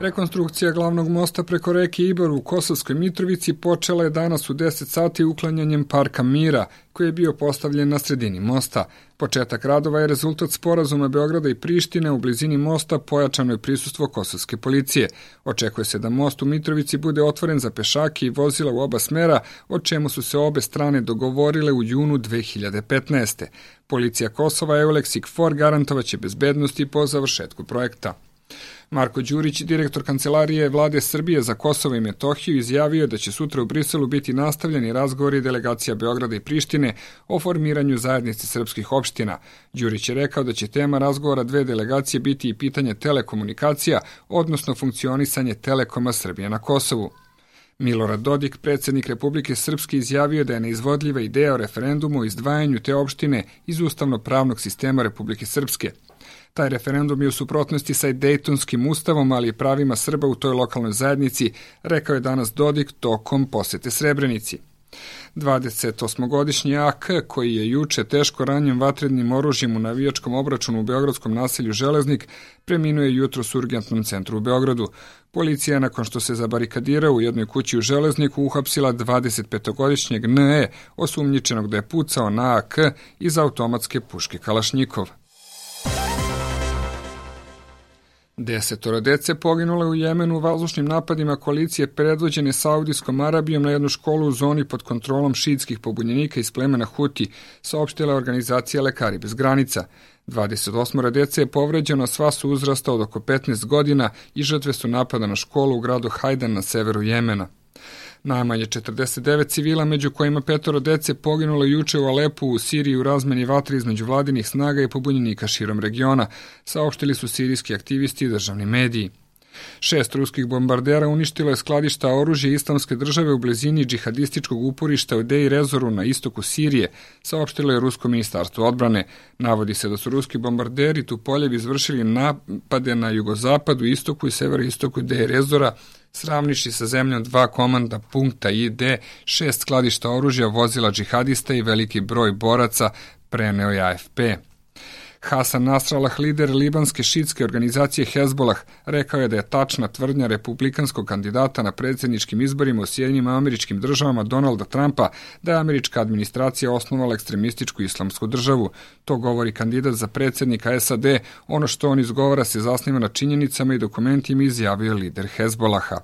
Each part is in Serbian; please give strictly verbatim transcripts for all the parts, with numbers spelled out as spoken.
Rekonstrukcija glavnog mosta preko reke Ibar u Kosovskoj Mitrovici počela je danas u deset sati uklanjanjem Parka Mira, koji je bio postavljen na sredini mosta. Početak radova je rezultat sporazuma Beograda i Prištine u blizini mosta, pojačano je prisustvo kosovske policije. Očekuje se da most u Mitrovici bude otvoren za pešake i vozila u oba smera, o čemu su se obe strane dogovorile u junu dve hiljade petnaeste. Policija Kosova Eulex i KFOR garantovaće bezbednosti po završetku projekta. Marko Đurić, direktor Kancelarije Vlade Srbije za Kosovo i Metohiju, izjavio da će sutra u Briselu biti nastavljeni razgovori delegacija Beograda i Prištine o formiranju zajednice srpskih opština. Đurić je rekao da će tema razgovora dve delegacije biti i pitanje telekomunikacija, odnosno funkcionisanje Telekoma Srbije na Kosovu. Milorad Dodik, predsjednik Republike Srpske, izjavio da je neizvodljiva ideja o referendumu o izdvajanju te opštine iz ustavno-pravnog sistema Republike Srpske. Taj referendum je u suprotnosti sa Dejtonskim ustavom, ali i pravima Srba u toj lokalnoj zajednici, rekao je danas Dodik tokom posete Srebrenici. dvadesetosmogodišnji A K, koji je juče teško ranjen vatrenim oružjem u navijačkom obračunu u beogradskom naselju Železnik, preminuo je jutros u urgentnom centru u Beogradu. Policija, nakon što se zabarikadirao u jednoj kući u Železniku, uhapsila dvadesetpetogodišnjeg N E, osumnjičenog da je pucao na A K iz automatske puške Kalašnjikov. Desetoro dece poginule u Jemenu u vazdušnim napadima koalicije predvođene Saudijskom Arabijom na jednu školu u zoni pod kontrolom šiitskih pobunjenika iz plemena Huti, saopštila organizacija Lekari bez granica. dvadeset osam dece je povređeno, sva su uzrasta od oko petnaest godina i žrtve su napada na školu u gradu Hajdan na severu Jemena. Najmanje četrdeset devet civila, među kojima petoro dece, poginulo juče u Alepu u Siriji u razmeni vatre između vladinih snaga i pobunjenika širom regiona, saopštili su sirijski aktivisti i državni mediji. Šest ruskih bombardera uništilo je skladišta oružja Islamske države u blizini džihadističkog uporišta u Dej Rezoru na istoku Sirije, saopštilo je Rusko ministarstvo odbrane. Navodi se da su ruski bombarderi Tupoljev izvršili napade na jugozapadu, istoku i severoistoku Dej Rezora, sravniši sa zemljom dva komanda punkta I D, šest skladišta oružja, vozila džihadista i veliki broj boraca, preneo je A F P. Hasan Nasrallah, lider libanske šiitske organizacije Hezbolah, rekao je da je tačna tvrdnja republikanskog kandidata na predsjedničkim izborima u Sjedinjenim Američkim Državama Donalda Trumpa da je američka administracija osnovala ekstremističku islamsku državu. To govori kandidat za predsjednika S A D, ono što on izgovara se zasniva na činjenicama i dokumentima, izjavio lider Hezbolaha.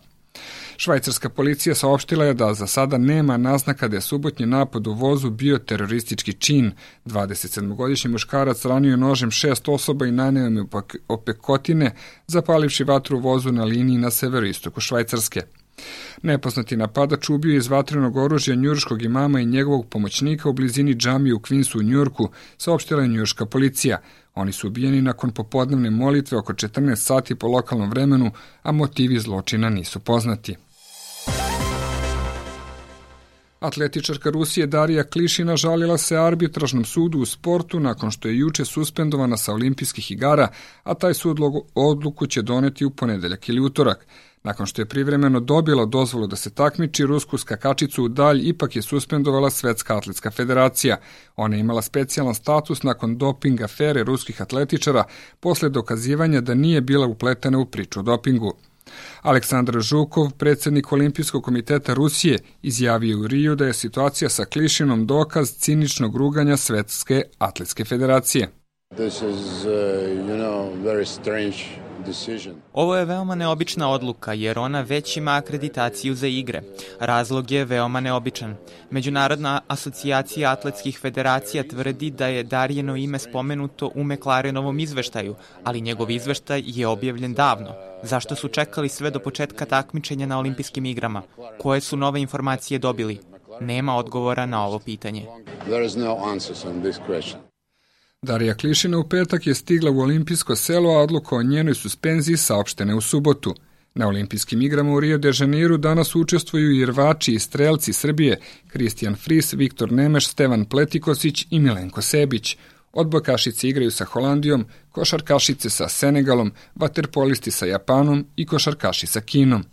Švajcarska policija saopštila je da za sada nema naznaka da je subotnji napad u vozu bio teroristički čin. dvadesetsedmogodišnji muškarac ranio nožem šest osoba i naneo im opekotine, zapalivši vatru u vozu na liniji na severoistoku Švajcarske. Nepoznati napadač ubio je iz vatrenog oružja njujorškog imama i njegovog pomoćnika u blizini džamije u Queensu u Njujorku, saopštila je njujorška policija. Oni su ubijeni nakon popodnevne molitve oko četrnaest sati po lokalnom vremenu, a motivi zločina nisu poznati. Atletičarka Rusije Darija Klišina žalila se arbitražnom sudu u sportu nakon što je juče suspendovana sa olimpijskih igara, a taj sud odluku će doneti u ponedeljak ili utorak. Nakon što je privremeno dobila dozvolu da se takmiči, rusku skakačicu u dalj ipak je suspendovala Svetska atletska federacija. Ona je imala specijalan status nakon doping afere ruskih atletičara posle dokazivanja da nije bila upletena u priču o dopingu. Aleksandar Žukov, predsjednik Olimpijskog komiteta Rusije, izjavio u Riju da je situacija sa Klišinom dokaz ciničnog ruganja Svetske atletske federacije. This is, uh, you know, very strange decision. Ovo je veoma neobična odluka jer ona već ima akreditaciju za igre. Razlog je veoma neobičan. Međunarodna asocijacija atletskih federacija tvrdi da je Darijino ime spomenuto u McLarenovom izveštaju, ali njegov izveštaj je objavljen davno. Zašto su čekali sve do početka takmičenja na olimpijskim igrama? Koje su nove informacije dobili? Nema odgovora na ovo pitanje. There is no answers on this question. Darija Klišina u petak je stigla u olimpijsko selo, a odluka o njenoj suspenziji saopštene u subotu. Na olimpijskim igrama u Rio de Janeiru danas učestvuju i rvači i strelci Srbije Kristijan Fris, Viktor Nemeš, Stevan Pletikosić i Milenko Sebić. Odbojkašice igraju sa Holandijom, košarkašice sa Senegalom, vaterpolisti sa Japanom i košarkaši sa Kinom.